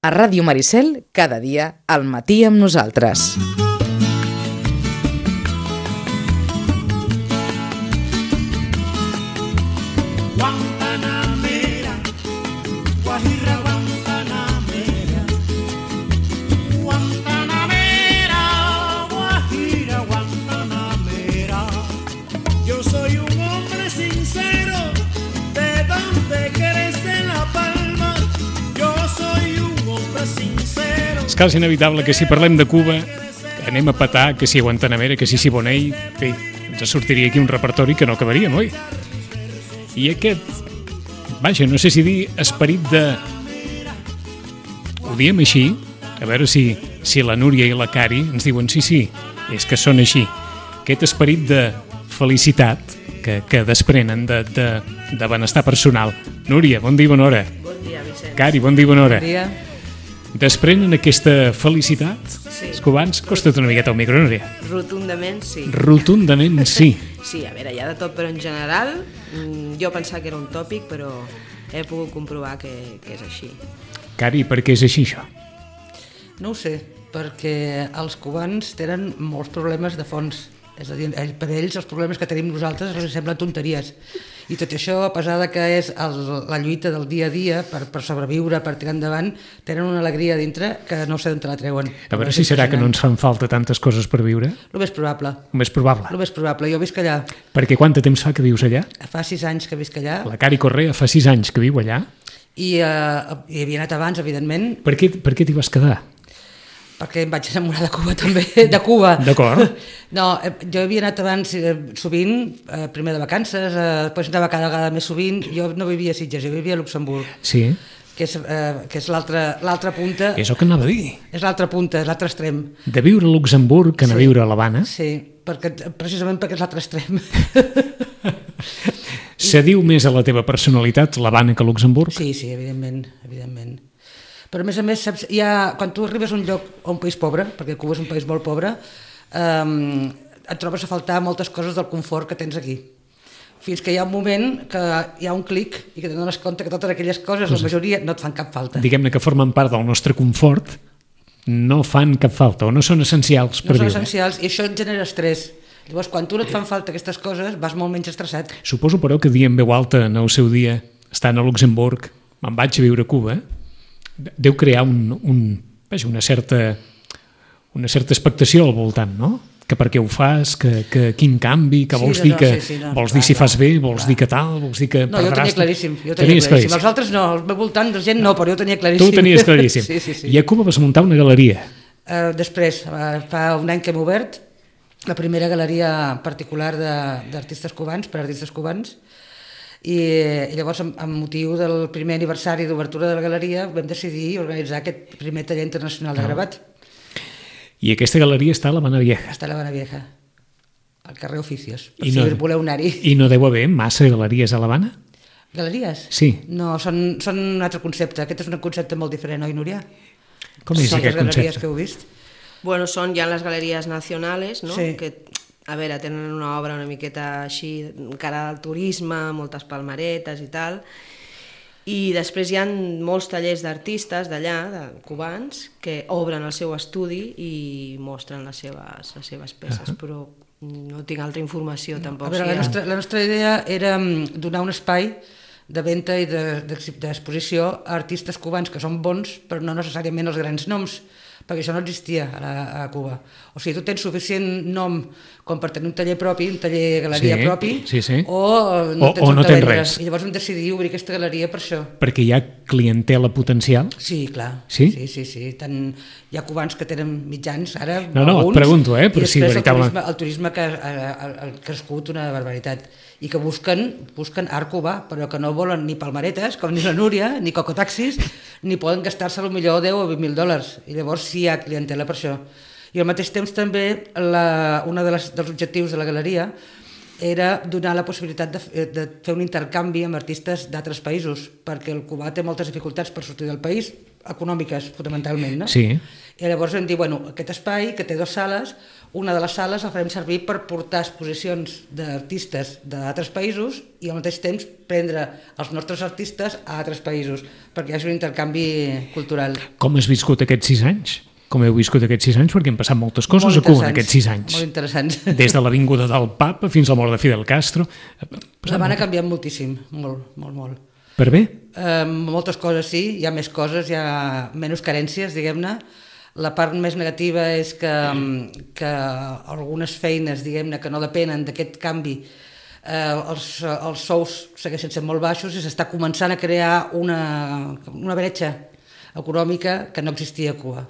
A Ràdio Maricel, cada dia, al matí amb nosaltres. Guantanamera, Guajira Guantanamera, Guantanamera, Guajira Guantanamera. Yo soy un hombre sincero, de donde crece la palma. Yo soy un hombre sincero. És quasi inevitable que si parlem de Cuba anem a petar, que si a Guantanamera, que si Siboney, bé, ens sortiria aquí un repertori que no acabaríem, oi? I aquest, vaja, no sé si dir esperit de... Ho diem així, a veure si la Núria i la Cari ens diuen sí, és que són així. Aquest esperit de felicitat que desprenen de benestar personal. Núria, bon dia, bona hora. Bon dia, Vicenç. Cari, bon dia, bona hora. Bon dia. Desprenen aquesta felicitat? Sí. Els cubans, costa't una miqueta el micro, Núria. Rotundament sí. Rotundament sí. Sí, a veure, hi ha de tot, però en general jo pensava que era un tòpic, però he pogut comprovar que és així. Cari, per què és així, això? No ho sé, perquè els cubans tenen molts problemes de fons. És a dir, per ells els problemes que tenim nosaltres els semblen tonteries. I tot això, a pesar de que és la lluita del dia a dia per sobreviure, per tirar endavant, tenen una alegria dintre que no sé d'on te la treuen. A veure si serà que no ens fan falta tantes coses per viure? El més probable. El més probable. El més probable. Jo visc allà. Perquè quant de temps fa que vius allà? Fa 6 anys que visc allà. La Cari Correa fa 6 anys que viu allà. I havia anat abans, evidentment. Per què t'hi vas quedar? Perquè em vaig enamorar de Cuba també, de Cuba. D'acord. No, jo havia anat abans sovint, primer de vacances, després anava cada vegada més sovint. Jo no vivia a Sitges, jo vivia a Luxemburg. Sí. Que és l'altra punta. És el que anava a dir. És l'altra punta, és l'altre extrem. De viure a Luxemburg que anar a viure a l'Havana. Sí, precisament perquè és l'altre extrem. Se diu més a la teva personalitat l'Havana que Luxemburg? Sí, evidentment. Però a més, saps, quan tu arribes a un lloc, a un país pobre, perquè Cuba és un país molt pobre, et trobes a faltar moltes coses del confort que tens aquí. Fins que hi ha un moment que hi ha un clic i que t'adones compte que totes aquelles coses, la majoria, no et fan cap falta. Diguem-ne que formen part del nostre confort, no fan cap falta o no són essencials per viure. No són essencials i això et genera estrès. Llavors, quan tu no et fan falta aquestes coses, vas molt menys estressat. Suposo, però, que dient veu alta en el seu dia, estant a Luxemburg, me'n vaig a viure a Cuba, deu crear una certa expectació al voltant, no? Que per què ho fas, que quin canvi, que vols dir que vols dir si fas bé, vols dir que tal, vols dir que no, jo ho tenia claríssim. Els altres no, al meu voltant de gent no, però jo ho tenia claríssim. Tu ho tenies claríssim. Sí. I a Cuba vas muntar una galeria. Després, fa un any que hem obert la primera galeria particular d'artistes cubans, per artistes cubans, i llavors, amb motiu del primer aniversari d'obertura de la galeria, vam decidir organitzar aquest primer taller internacional de gravat. I aquesta galeria està a l'Havana Vieja. Està a l'Havana Vieja, al carrer Oficios, per si voleu anar-hi. I no deu haver massa galeries a l'Havana? Galeries? Sí. No, són un altre concepte. Aquest és un concepte molt diferent, oi, Núria? Com és aquest concepte? Galeries que heu vist? Bueno, són ja les galeries nacionals, no? Sí. Que, a veure, tenen una obra una miqueta així, cara al turisme, moltes palmeretes i tal, i després hi ha molts tallers d'artistes d'allà, de cubans, que obren el seu estudi i mostren les seves peces, però no tinc altra informació tampoc. A veure, la nostra idea era donar un espai de venda i d'exposició a artistes cubans que són bons, però no necessàriament els grans noms, perquè això no existia a Cuba. O sigui, tu tens suficient nom com per tenir un taller propi, un taller galeria propi, o no tens res. I llavors vam decidir obrir aquesta galeria per això. Perquè hi ha clientela potencial? Sí, clar. Sí? Sí. Hi ha cubans que tenen mitjans, ara no, alguns, et pregunto, però i després veritablement... el turisme que ha crescut una barbaritat i que busquen art cubà, però que no volen ni palmeretes, com ni la Núria, ni cocotaxis, ni poden gastar-se potser 10 o $20,000. I llavors sí hi ha clientela per això. I al mateix temps també un dels objectius de la galeria era donar la possibilitat de fer un intercanvi amb artistes d'altres països, perquè el cubà té moltes dificultats per sortir del país, econòmiques fonamentalment, no? Sí. I llavors vam dir, aquest espai, que té 2 sales, una de les sales la farem servir per portar exposicions d'artistes d'altres països i al mateix temps prendre els nostres artistes a altres països, perquè hi hagi un intercanvi cultural. Com has viscut aquests 6 anys? Com heu viscut aquests 6 anys? Perquè han passat moltes coses a Cuba en aquests 6 anys. Molt interessants. Des de l'avinguda del Papa fins a la mort de Fidel Castro. L'Havana ha canviat moltíssim, molt. Per bé? Moltes coses sí, hi ha més coses, hi ha menys carències, diguem-ne. La part més negativa és que algunes feines, diguem-ne, que no depenen d'aquest canvi, els sous segueixen sent molt baixos i s'està començant a crear una bretxa econòmica que no existia a Cuba.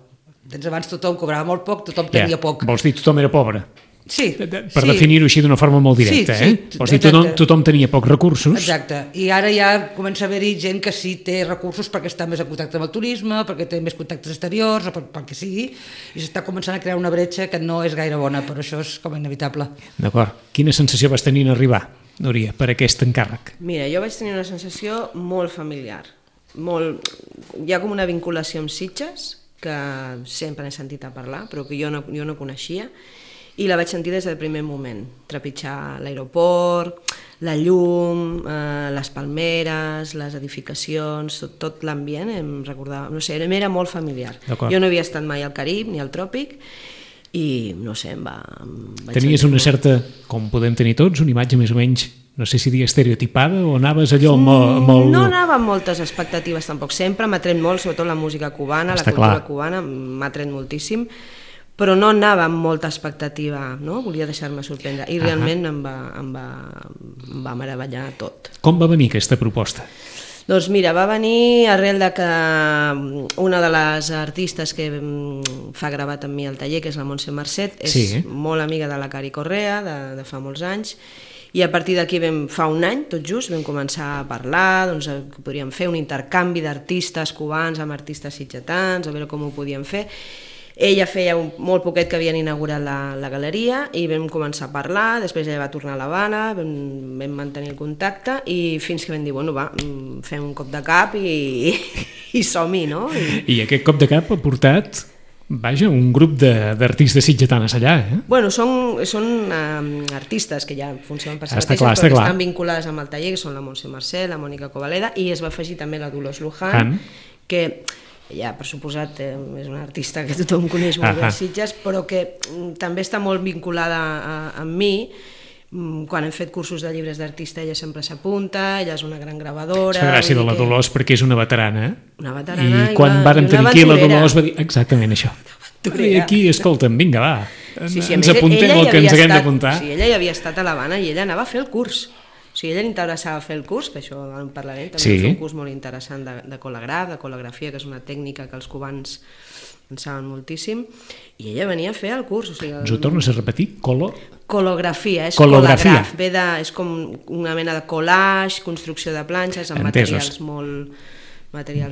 Abans tothom cobrava molt poc, tothom tenia poc. Vols dir tothom era pobre? Sí. Per definir-ho així d'una forma molt directa, Vols dir tothom tenia pocs recursos? Exacte. I ara ja comença a haver-hi gent que sí té recursos perquè està més en contacte amb el turisme, perquè té més contactes exteriors, o pel que sigui, i s'està començant a crear una bretxa que no és gaire bona, però això és com inevitable. D'acord. Quina sensació vas tenir en arribar, Núria, per aquest encàrrec? Mira, jo vaig tenir una sensació molt familiar. Hi ha com una vinculació amb Sitges, que sempre n'he sentit a parlar, però que jo no coneixia, i la vaig sentir des del primer moment, trepitjar l'aeroport, la llum, les palmeres, les edificacions, tot l'ambient, em recordava, no sé, m'era molt familiar. Jo no havia estat mai al Carib ni al Tròpic i, no sé, em vaig Tenies una certa, com podem tenir tots, una imatge més o menys, no sé si dir estereotipada o anaves allò molt... No anava amb moltes expectatives tampoc, sempre m'ha tret molt, sobretot la música cubana, la cultura cubana, m'ha tret moltíssim, però no anava amb molta expectativa, no? Volia deixar-me sorprendre i realment em va meravellar tot. Com va venir aquesta proposta? Doncs mira, va venir arrel de que una de les artistes que fa gravat amb mi al taller, que és la Montse Marcet, és molt amiga de la Cari Correa, de fa molts anys, i a partir d'aquí fa un any, tot just, vam començar a parlar, doncs que podríem fer un intercanvi d'artistes cubans amb artistes sitgetans, a veure com ho podíem fer. Ella feia molt poquet que havien inaugurat la galeria i vam començar a parlar, després ella va tornar a l'Havana, vam mantenir el contacte i fins que vam dir, bueno, va, fem un cop de cap i som-hi, no? I aquest cop de cap ha portat, vaja, un grup d'artistes sitgetanes allà, Bueno, són artistes que ja funcionen per si mateixes, però que estan vinculades amb el taller, que són la Montse Marcet, la Mònica Covaleda, i es va afegir també la Dolors Luján, que... ella, per suposat, és una artista que tothom coneix molt bé a Sitges, però que també està molt vinculada amb mi. Quan hem fet cursos de llibres d'artista ella sempre s'apunta, ella és una gran gravadora... És la gràcia de la Dolors perquè és una veterana. Una veterana i quan vàrem tenir aquí la Dolors va dir exactament això. I aquí, escolta'm, vinga, va, ens apuntem el que ens haguem d'apuntar. Sí, ella ja havia estat a l'Havana i ella anava a fer el curs. O sigui, ella li interessava fer el curs, que això en parlarem, també va fer un curs molt interessant de colegrafia, que és una tècnica que els cubans en saben moltíssim, i ella venia a fer el curs. O sigui, ens ho tornes a repetir? Colegrafia, és col·lograf, és com una mena de collage, construcció de planxes amb materials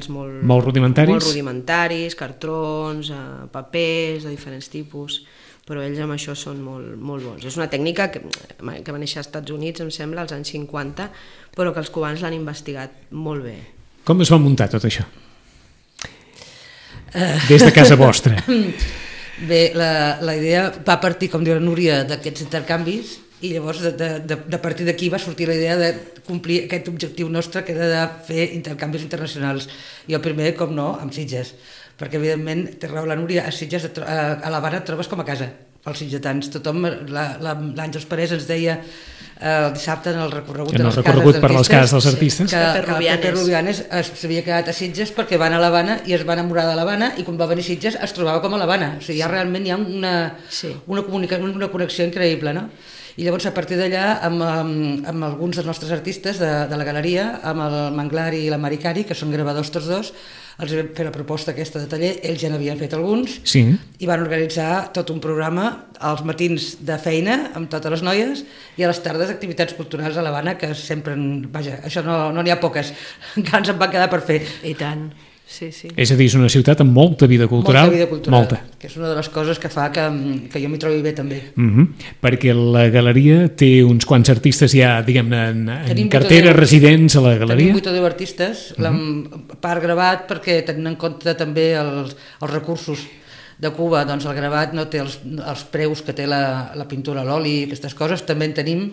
molt rudimentaris, cartrons, papers de diferents tipus, però ells amb això són molt bons. És una tècnica que va néixer als Estats Units, em sembla, als anys 50, però que els cubans l'han investigat molt bé. Com es va muntar tot això? Des de casa vostra. Bé, la idea va partir, com diu la Núria, d'aquests intercanvis, i llavors de partir d'aquí va sortir la idea de complir aquest objectiu nostre, que era de fer intercanvis internacionals. I el primer, com no, amb Sitges, perquè evidentment, té raó la Núria, a Sitges, a l'Havana et trobes com a casa, els sitgetans. Tothom, l'Àngels Parés ens deia el dissabte en el recorregut per les cases dels artistes que Pepe Rubianes s'havia quedat a Sitges perquè van a l'Havana i es va enamorar de l'Havana, i quan va venir a Sitges es trobava com a l'Havana. O sigui, ja realment hi ha una connexió increïble, no? I llavors a partir d'allà amb alguns dels nostres artistes de la galeria, amb el Manglar i la Maricari, que són gravadors tots dos, els vam fer la proposta aquesta de taller, ells ja n'havien fet alguns, i van organitzar tot un programa als matins de feina amb totes les noies i a les tardes activitats culturals a l'Havana, que sempre, vaja, això no n'hi ha poques, encara ens en va quedar per fer. I tant. Sí. És a dir, és una ciutat amb molta vida cultural. Que és una de les coses que fa que jo m'hi trobi bé també. Perquè la galeria té uns quants artistes ja, diguem-ne, en cartera, residents a la galeria. Tenim 8 o 10 artistes, part gravat perquè tenint en compte també els recursos de Cuba, doncs el gravat no té els preus que té la pintura a l'oli, aquestes coses, també en tenim,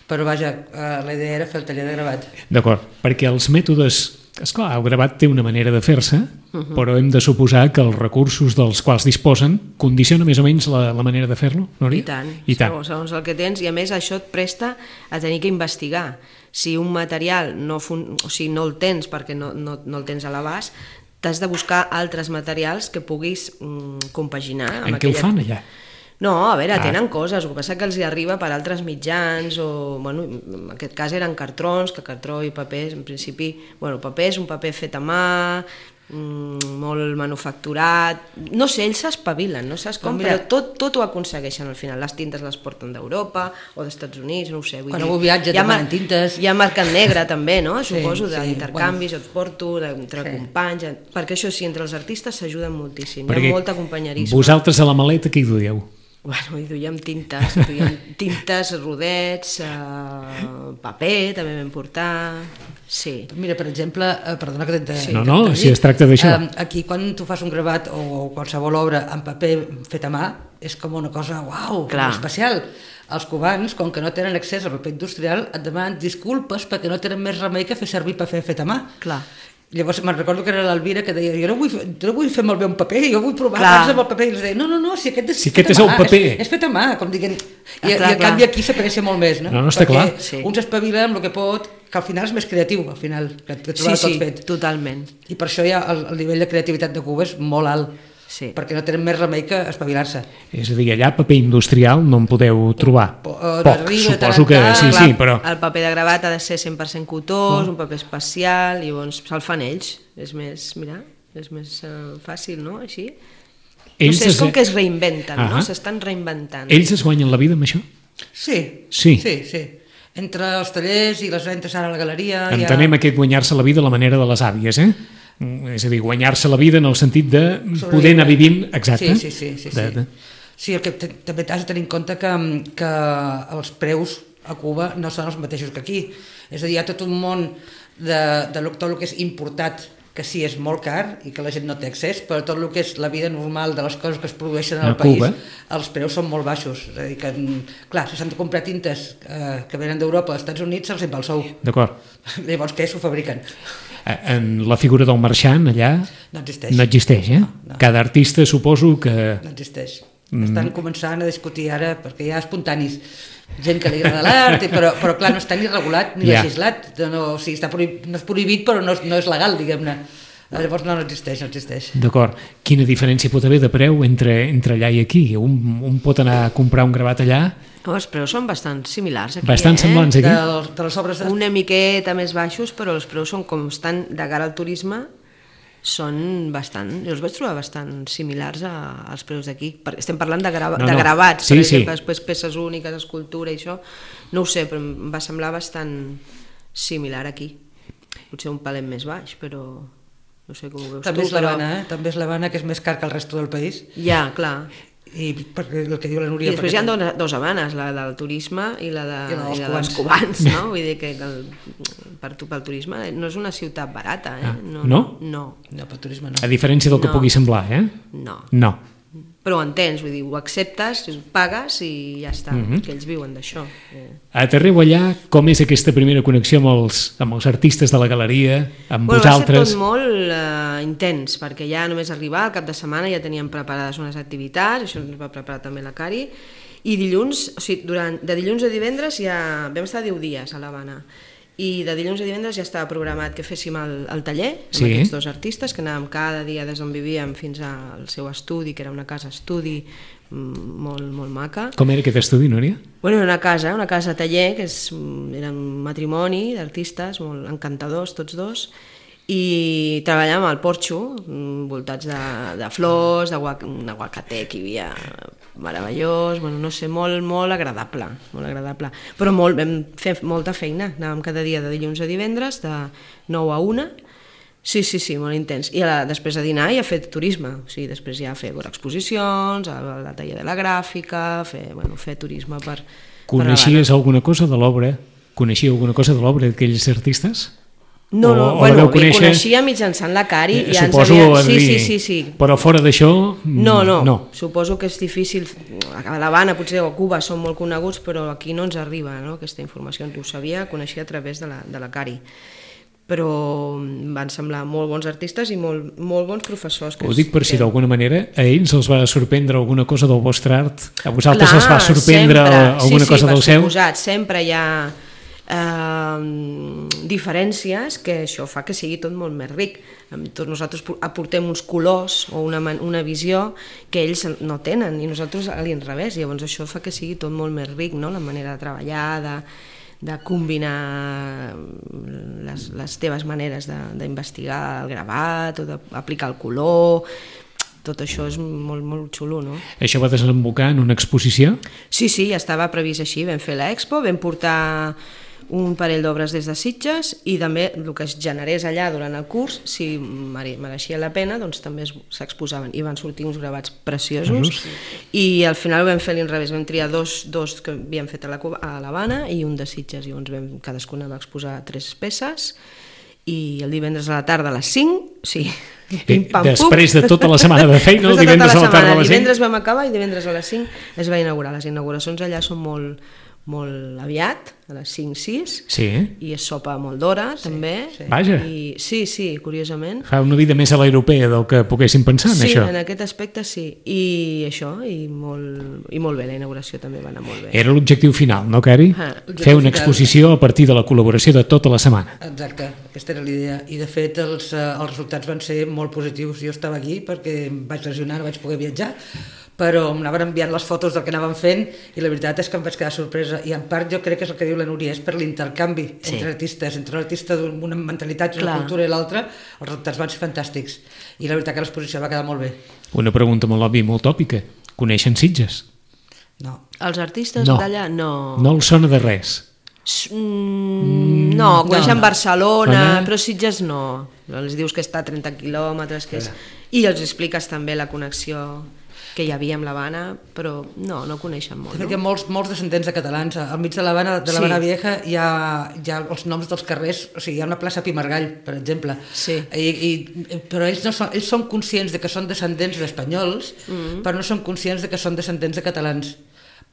però vaja, la idea era fer el taller de gravat. D'acord, perquè els mètodes... Esclar, el gravat té una manera de fer-se, però hem de suposar que els recursos dels quals disposen condiciona més o menys la manera de fer-lo, Núria? I tant. Segons el que tens, i a més això et presta a tenir que investigar. Si un material no el tens perquè no el tens a l'abast, t'has de buscar altres materials que puguis compaginar. En què ho fan allà? No, a veure, tenen coses, el que passa que els hi arriba per altres mitjans, o, bueno, en aquest cas eren cartrons, que cartró i paper, en principi, bueno, paper és un paper fet a mà, molt manufacturat, no sé, ells s'espavilen, no saps com, però tot ho aconsegueixen al final, les tintes les porten d'Europa o d'Estats Units, no ho sé. Quan algú viatja demanen tintes. Hi ha mercat negre també, no? Suposo, d'intercanvis, jo et porto, entre companys, perquè això sí, entre els artistes s'ajuden moltíssim, hi ha molt acompanyarisme. Vosaltres a la maleta què hi duieu? Bueno, hi duiem tintes, rodets, paper, també vam portar... Sí. Mira, per exemple, perdona que t'he... No, si es tracta d'això. Aquí, quan tu fas un gravat o qualsevol obra en paper fet a mà, és com una cosa, uau, especial. Els cubans, com que no tenen accés al paper industrial, et demanen disculpes perquè no tenen més remei que fer servir paper fet a mà. Clar. Llavors me'n recordo que era l'Alvira que deia jo no vull fer malbé un paper, jo vull provar abans amb el paper, i els deia no, si aquest és el paper és fet a mà, com diguent, i en canvi aquí s'aprecia molt més, no? No, està clar. Perquè un s'espavila amb el que pot, que al final és més creatiu, al final, que trobar tot fet. Sí, totalment. I per això ja el nivell de creativitat de Cuba és molt alt, perquè no tenen més remei que espavilar-se. És a dir, allà paper industrial no en podeu trobar. Poc, suposo que sí, però... El paper de gravat ha de ser 100% cotós, un paper especial, i llavors se'l fan ells. És més, mira, és més fàcil, no? Així. No sé, és com que es reinventen, no? S'estan reinventant. Ells es guanyen la vida amb això? Sí. Entre els tallers i les ventes ara a la galeria... Entenem aquest guanyar-se la vida a la manera de les àvies, és a dir, guanyar-se la vida en el sentit de poder anar vivint, exacte. Sí, el que també has de tenir en compte que els preus a Cuba no són els mateixos que aquí. És a dir, hi ha tot un món de tot el que és importat, que sí és molt car i que la gent no té accés, però tot el que és la vida normal de les coses que es produeixen al país, els preus són molt baixos. És a dir que, clar, si s'han de comprar tintes que venen d'Europa als Estats Units, se'ls va el sou. D'acord. Llavors, què? S'ho fabriquen. En la figura del marxant allà no existeix, No. Cada artista suposo que... No existeix. Estan començant a discutir ara, perquè hi ha espontanis, gent que li agrada l'art, però clar, no està ni regulat ni legislat, no és prohibit però no és legal, diguem-ne. Llavors no existeix. D'acord. Quina diferència pot haver de preu entre allà i aquí? Un pot anar a comprar un gravat allà? Els preus són bastant similars aquí. Bastant semblants aquí? De les obres una miqueta més baixos, però els preus són com estan de cara al turisme, són bastant, jo els vaig trobar bastant similars als preus d'aquí. Estem parlant de gravats, per exemple, després peces úniques, escultura i això, no ho sé, però em va semblar bastant similar aquí. Potser un palet més baix, però no sé com ho veus també tu. També és l'Havana, que és més car que el resto del país. Ja, clar. I el que diu la Núria... I després hi ha dos Havanes, la del turisme i la dels cubans, no? Vull dir que pel turisme no és una ciutat barata, No? No, pel turisme no. A diferència del que pugui semblar, No. Però ho entens, vull dir, ho acceptes, pagues i ja està, que ells viuen d'això. Aterreu allà, com és aquesta primera connexió amb els artistes de la galeria, amb vosaltres? Va ser tot molt intens, perquè ja només arribar, al cap de setmana ja teníem preparades unes activitats, això ens va preparar també la Cari, i dilluns, o sigui, de dilluns a divendres ja vam estar 10 dies a l'Havana, i de dilluns a divendres ja estava programat que féssim el taller amb aquests dos artistes, que anàvem cada dia des d'on vivíem fins al seu estudi, que era una casa estudi molt, molt maca. Com era aquest estudi, Núria? Bueno, era una casa taller, que era un matrimoni d'artistes molt encantadors tots dos, i treballàvem al porxo, voltats de flors, un aguacater que hi havia meravellós, bueno, no sé, molt agradable, però vam fer molta feina, anàvem cada dia de dilluns a divendres, de 9 a 1, sí, molt intens, i després a dinar i a fer turisme, o sigui, després ja a fer exposicions, a la taller de la gràfica, fer turisme per... Coneixies alguna cosa de l'obra? Coneixia alguna cosa de l'obra d'aquells artistes? No, o la bueno, veu li conèixer? coneixia mitjançant la Cari. Ja Suposo, ens havia... Sí. Però fora d'això... No, suposo que és difícil. A l'Havana, potser, o a Cuba són molt coneguts, però aquí no ens arriba, no? Aquesta informació. Ho sabia, coneixia a través de la Cari. Però van semblar molt bons artistes i molt bons professors. Ho dic per si d'alguna manera a ells els va sorprendre alguna cosa del vostre art, a vosaltres els va sorprendre alguna cosa del seu? Sí, sempre hi ha diferències que això fa que sigui tot molt més ric. Nosaltres aportem uns colors o una visió que ells no tenen i nosaltres a l'inrevés, llavors això fa que sigui tot molt més ric, no? La manera de treballar, de combinar les teves maneres d'investigar el gravat o d'aplicar el color. Tot això és molt, molt xulo, no? Això va desembocar en una exposició? Sí, ja estava previst així. Vam fer l'expo, vam portar un parell d'obres des de Sitges i també el que es generés allà durant el curs, si mereixia la pena, doncs també s'exposaven i van sortir uns gravats preciosos i al final ho vam fer a l'inrevés, vam triar dos que havíem fet a l'Havana i un de Sitges, i llavors cadascuna va exposar 3 peces i el divendres a la tarda a les 5, sí, després de tota la setmana de feina, el divendres a la tarda a les 5. Divendres vam acabar i divendres a les 5 es va inaugurar. Les inauguracions allà són molt aviat, a les 5-6, i es sopa molt d'hora, també. Vaja. Sí, curiosament. Fa una vida més a l'europea del que poguéssim pensar en això. Sí, en aquest aspecte sí. I això, i molt bé, la inauguració també va anar molt bé. Era l'objectiu final, no, Cari? Fer una exposició a partir de la col·laboració de tota la setmana. Exacte, aquesta era l'idea. I de fet els resultats van ser molt positius. Jo estava aquí perquè em vaig lesionar, no vaig poder viatjar, però m'anaven enviant les fotos del que anàvem fent i la veritat és que em vaig quedar sorpresa i en part jo crec que és el que diu la Núria, és per l'intercanvi entre artistes, entre un artista d'una mentalitat i una cultura i l'altra, els resultats van ser fantàstics i la veritat que l'exposició va quedar molt bé. Una pregunta molt òbvia i molt tòpica, coneixen Sitges? No. Els artistes d'allà no. No els sona de res? No, coneixen Barcelona, però Sitges no. Els dius que està a 30 quilòmetres i els expliques també la connexió que hi havia amb l'Havana, però no coneixen molt. Hi ha molts descendents de catalans. Al mig de l'Havana Vieja hi ha els noms dels carrers, o sigui, hi ha una plaça Pimargall, per exemple, però ells són conscients de que són descendents d'espanyols, però no són conscients de que són descendents de catalans,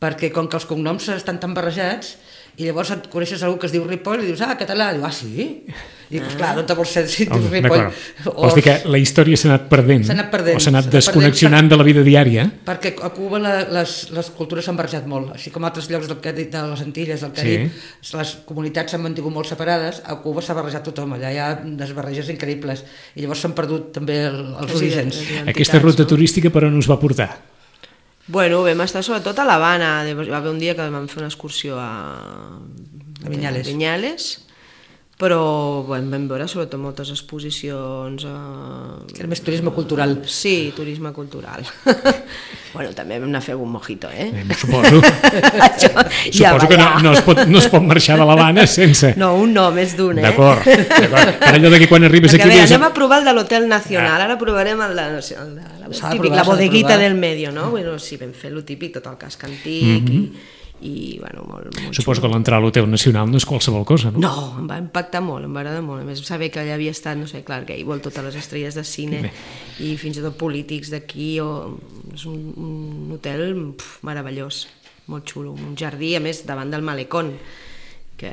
perquè com que els cognoms estan tan barrejats, i llavors et coneixes algú que es diu Ripoll i dius, català, diu, sí? I dius, clar, no te vols ser Ripoll. Vols dir que la història s'ha anat perdent, o s'ha anat desconnexionant de la vida diària? Perquè a Cuba les cultures s'han barrejat molt, així com a altres llocs de les Antilles, del Carib, les comunitats s'han mantingut molt separades, a Cuba s'ha barrejat tothom, allà hi ha unes barreges increïbles, i llavors s'han perdut també els orígens. Aquesta ruta turística per on us va portar? Bueno, vam estar sobretot a l'Havana, va haver un dia que vam fer una excursió a Vinyales, però vam veure sobretot moltes exposicions. Era més turisme cultural. Sí, turisme cultural. Bueno, també vam anar a fer un mojito, Suposo. Suposo que no es pot marxar de l'Havana sense... No, més d'un, D'acord. Per allò que quan arribes aquí... Anem a provar el de l'Hotel Nacional, ara provarem el de la bodeguita del medio, no? Bueno, sí, vam fer lo típic, tot el casc antic i bueno, molt suposo que l'entrar a l'Hotel Nacional no és qualsevol cosa, no? No, em va impactar molt, em va agradar molt. A més, saber que allà havia estat, no sé, Clark Gable, totes les estrelles de cine i fins i tot polítics d'aquí. És un hotel meravellós, molt xulo, un jardí, a més, davant del malecón, que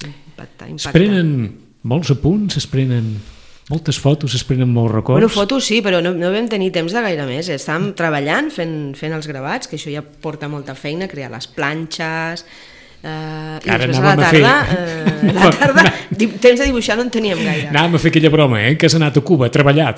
impacta. Es prenen molts apunts, es prenen moltes fotos, es prenen molts records. Bueno, fotos sí, però no vam tenir temps de gaire més. Estàvem treballant, fent els gravats, que això ja porta molta feina, crear les planxes, i després a la tarda temps de dibuixar no en teníem gaire. Anàvem a fer aquella broma, que has anat a Cuba a treballar,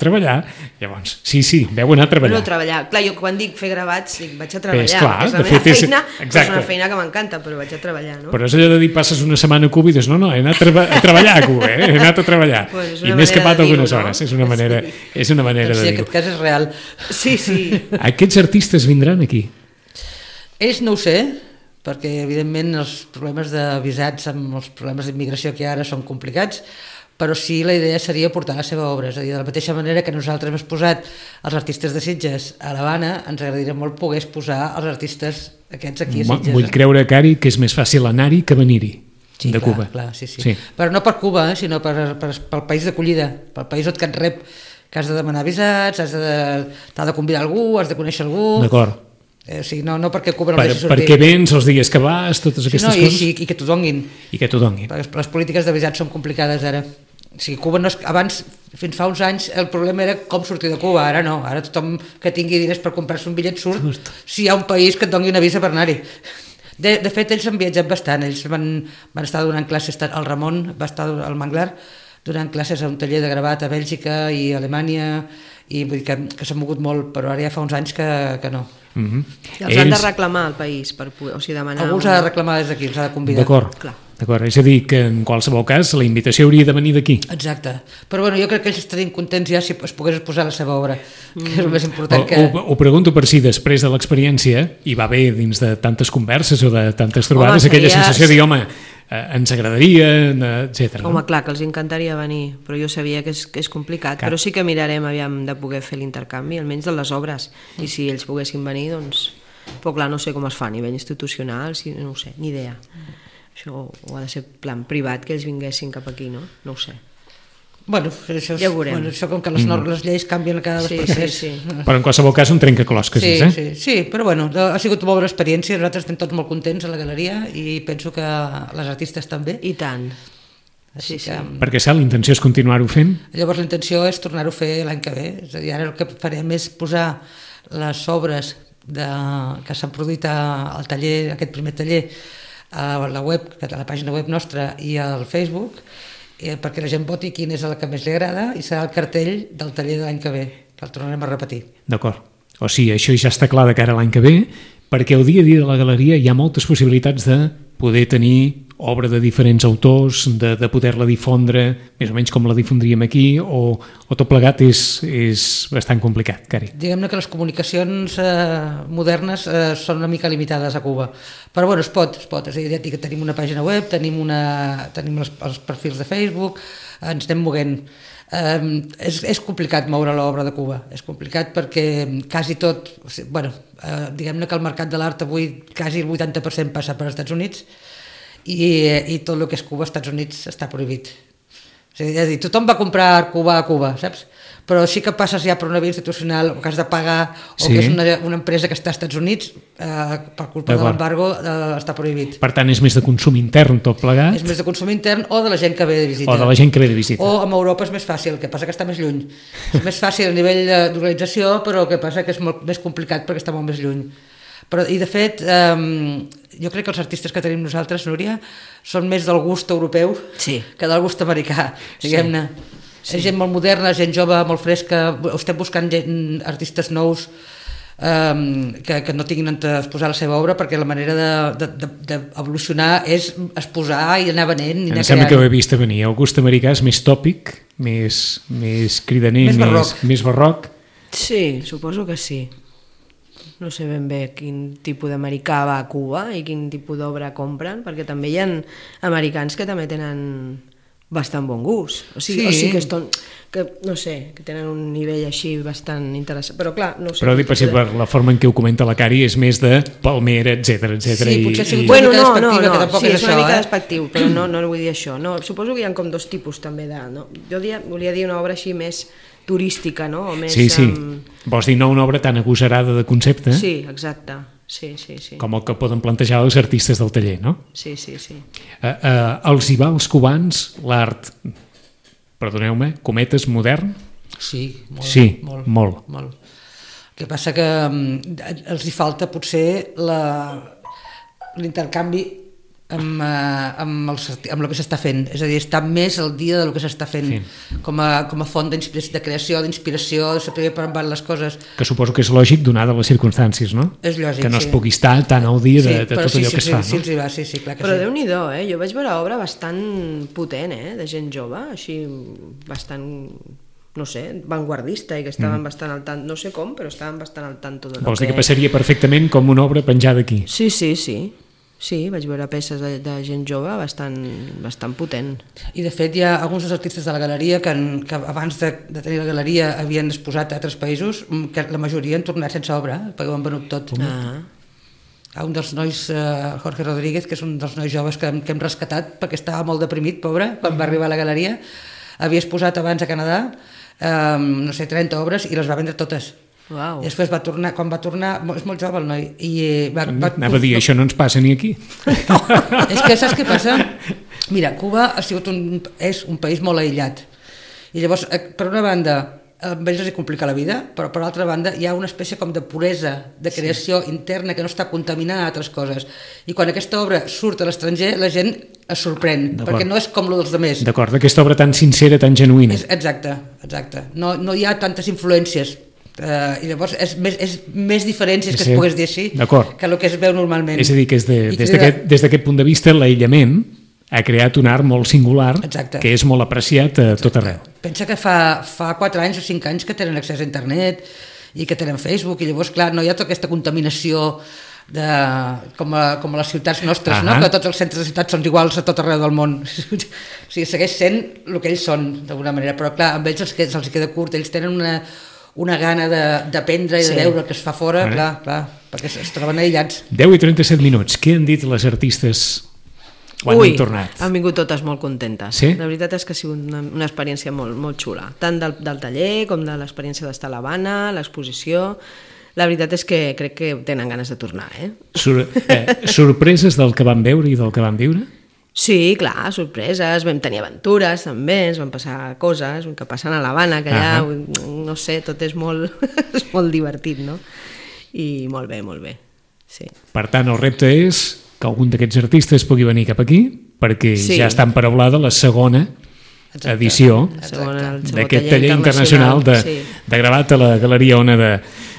llavors, sí, veu anar a treballar. No, treballar, clar, jo quan dic fer gravats dic vaig a treballar, clar, és la meva feina, és una feina que m'encanta, però vaig a treballar, no? Però és allò de dir, passes una setmana a Cuba i dius, no, he anat a treballar a Cuba, he anat a treballar, i m'he escapat algunes hores, és una manera de dir-ho. Sí, aquest cas és real. Sí. Aquests artistes vindran aquí? Ells no ho sé, perquè evidentment els problemes de visats amb els problemes d'immigració que ara són complicats, però sí la idea seria portar la seva obra, és a dir, de la mateixa manera que nosaltres hem posat els artistes de Sitges a l'Havana, ens agradaria molt poder posar els artistes aquests aquí a Sitges. Vull creure, Cari, que és més fàcil anar-hi que venir-hi. Sí, de Cuba. Clar, sí. Però no per Cuba, sinó pel país d'acollida, pel país on que et rep, que has de demanar visats, t'ha de convidar algú, has de conèixer algú. D'acord. O sigui, no perquè Cuba no deixi sortir. Perquè vens els dies que vas, totes aquestes coses. I que t'ho donguin. I que t'ho donguin. Perquè les polítiques de visats són complicades ara. O sigui, Cuba no és... Abans, fins fa uns anys, el problema era com sortir de Cuba. Ara no. Ara tothom que tingui diners per comprar-se un bitllet surt si hi ha un país que et doni una visa per anar-hi. De fet, ells han viatjat bastant. Ells van estar donant classes, el Ramon va estar al Manglar donant classes a un taller de gravat a Bèlgica i a Alemanya, i vull dir que s'ha mogut molt, però ara ja fa uns anys que no. I els han de reclamar al país per poder, o sigui, demanar... Algú s'ha de reclamar des d'aquí, els ha de convidar. D'acord, és a dir, que en qualsevol cas la invitació hauria de venir d'aquí. Exacte, però bueno, jo crec que ells estarien contents ja si es pogués posar la seva obra, que és el més important que... Ho pregunto per si després de l'experiència hi va haver dins de tantes converses o de tantes trobades aquella sensació de dir, home, ens agradaria, etc. Home, clar, que els encantaria venir, però jo sabia que és complicat, però sí que mirarem aviam de poder fer l'intercanvi, almenys de les obres, i si ells poguessin venir, doncs... Però clar, no sé com es fa a nivell institucional, no ho sé, ni idea. Això ho ha de ser plan privat, que ells vinguessin cap aquí, no? No ho sé. Bueno, això ja ho veurem. Això com que les lleis canvien cada dos per tres. Sí. Però en qualsevol cas un trencaclosques, Sí, però bueno, ha sigut una bona experiència, nosaltres estem tots molt contents a la galeria i penso que les artistes també. I tant. Sí. Perquè l'intenció és continuar-ho fent? Llavors la intenció és tornar-ho a fer l'any que ve, és a dir, ara el que farem és posar les obres que s'han produït al taller, aquest primer taller, a la web, a la pàgina web nostra i al Facebook, perquè la gent voti quin és el que més li agrada i serà el cartell del taller de l'any que ve, que el tornarem a repetir. D'acord. O sigui, això ja està clar de cara a l'any que ve, perquè el dia a dia de la galeria hi ha moltes possibilitats de poder tenir obra de diferents autors, de poder-la difondre, més o menys com la difondríem aquí, o tot plegat és bastant complicat, Cari. Diguem-ne que les comunicacions modernes són una mica limitades a Cuba, però bueno, es pot, és a dir, ja dic que tenim una pàgina web, tenim els perfils de Facebook, ens anem moguent. És complicat moure l'obra de Cuba, és complicat perquè quasi tot, diguem-ne que el mercat de l'art avui quasi el 80% passa per als Estats Units, i tot el que és Cuba als Estats Units està prohibit. És a dir, tothom va comprar Cuba a Cuba, saps? Però sí que passes ja per una via institucional o que has de pagar o que és una empresa que està als Estats Units, per culpa de l'embargo està prohibit. Per tant, és més de consum intern tot plegat? És més de consum intern o de la gent que ve de visita. O amb Europa és més fàcil, el que passa que està més lluny. És més fàcil a nivell d'organització, però el que passa que és molt més complicat perquè està molt més lluny. I de fet, jo crec que els artistes que tenim nosaltres, Núria, són més del gust europeu que del gust americà, diguem-ne. És gent molt moderna, gent jove, molt fresca, estem buscant artistes nous que no tinguin on exposar la seva obra, perquè la manera d'evolucionar és exposar i anar venent i anar creant. Em sembla que ho he vist a venir, el gust americà és més tòpic, més cridaner, més barroc. Sí, suposo que sí. No sé ben bé quin tipus d'americà va a Cuba i quin tipus d'obra compren, perquè també hi ha americans que també tenen bastant bon gust, o sigui que no sé, que tenen un nivell així bastant interessant, però clar, no sé. Però dic per la forma en què ho comenta la Cari és més de Palmera, etc. Sí, potser ha sigut una mica despectiva, que tampoc és això, una mica despectiu, però no vull dir això. Suposo que hi ha com dos tipus també de... Jo volia dir una obra així més turística, no? Sí. Vols dir no una obra tan agosarada de concepte? Sí, exacte. Sí. Com el que poden plantejar els artistes del taller, no? Sí. Els hi va als cubans l'art, perdoneu-me, cometes, modern? Sí, molt. El que passa que els hi falta potser l'intercanvi amb el que s'està fent, és a dir, està més al dia del que s'està fent, com a font de creació, d'inspiració, de saber per on van les coses. Que suposo que és lògic donada les circumstàncies, no? És lògic, que no es pugui estar tan al dia de tot allò que es fa, no? Sí, clar que sí. Però Déu-n'hi-do, jo vaig veure obra bastant potent, de gent jove, així bastant, no sé, vanguardista, i que estaven bastant al tant, no sé com, però estaven bastant al tanto de... Vols dir que passaria perfectament com una obra penjada aquí? Sí, vaig veure peces de gent jove bastant potent. I de fet hi ha alguns dels artistes de la galeria que abans de tenir la galeria havien exposat a altres països, que la majoria han tornat sense obra, perquè ho han venut tot. a un dels nois, Jorge Rodríguez, que és un dels nois joves que hem rescatat perquè estava molt deprimit, pobre, quan va arribar a la galeria. Havia exposat abans a Canadà, no sé, 30 obres i les va vendre totes. Uau. I després quan va tornar, és molt jove el noi, i Anava a dir, això no ens passa ni aquí. És que saps què passa? Mira, Cuba és un país molt aïllat. I llavors, per una banda, a ells els complica la vida, però per l'altra banda hi ha una espècie com de puresa de creació interna que no està contaminada a altres coses. I quan aquesta obra surt a l'estranger, la gent es sorprèn, perquè no és com lo dels altres. D'acord, d'aquesta obra tan sincera, tan genuïna. Exacte. No hi ha tantes influències. I llavors és més diferències que es pogués dir així que el que es veu normalment. És a dir, que des d'aquest punt de vista l'aïllament ha creat un art molt singular. Exacte. Que és molt apreciat a tot arreu. Pensa que fa 4 anys o 5 anys que tenen accés a internet i que tenen Facebook, i llavors, clar, no hi ha tota aquesta contaminació com a les ciutats nostres, no? Que tots els centres de ciutats són iguals a tot arreu del món. O sigui, segueix sent el que ells són, d'alguna manera, però clar, amb ells se'ls queda curt, ells tenen una gana d'aprendre i de veure el que es fa fora, clar, perquè es troben aïllats. 10:37 minuts. Què han dit les artistes quan han tornat? Han vingut totes molt contentes. Sí? La veritat és que ha sigut una experiència molt, molt xula, tant del taller com de l'experiència d'estar a l'Havana, l'exposició. La veritat és que crec que tenen ganes de tornar. Sorpreses del que van veure i del que van viure? Sí, clar, sorpreses, vam tenir aventures també, ens van passar coses que passen a l'Havana, que allà, no sé, tot és molt, és molt divertit, no? I molt bé, sí. Per tant, el repte és que algun d'aquests artistes pugui venir cap aquí, perquè ja està emparaulada la segona edició d'aquest taller internacional de gravat a la Galeria Ona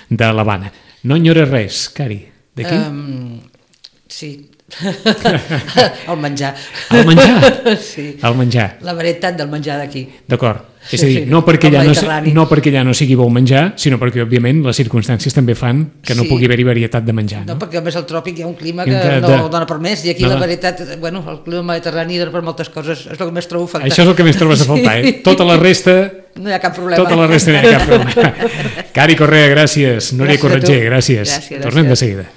de l'Havana. No enyores res, Cari, d'aquí? Sí. El menjar. El menjar? Sí. El menjar. La varietat del menjar d'aquí. D'acord. És a dir, no perquè allà no sigui bo menjar, sinó perquè, òbviament, les circumstàncies també fan que no pugui haver-hi varietat de menjar. No, perquè a més al tròpic hi ha un clima que no dona per més, i aquí la varietat, bueno, el clima mediterrani dona per moltes coses, és el que més trobo a faltar. Això és el que més trobes a faltar, Tota la resta... No hi ha cap problema. Tota la resta no hi ha cap problema. Cari Correa, gràcies. Núria Corretger, gràcies. Tornem de seguida.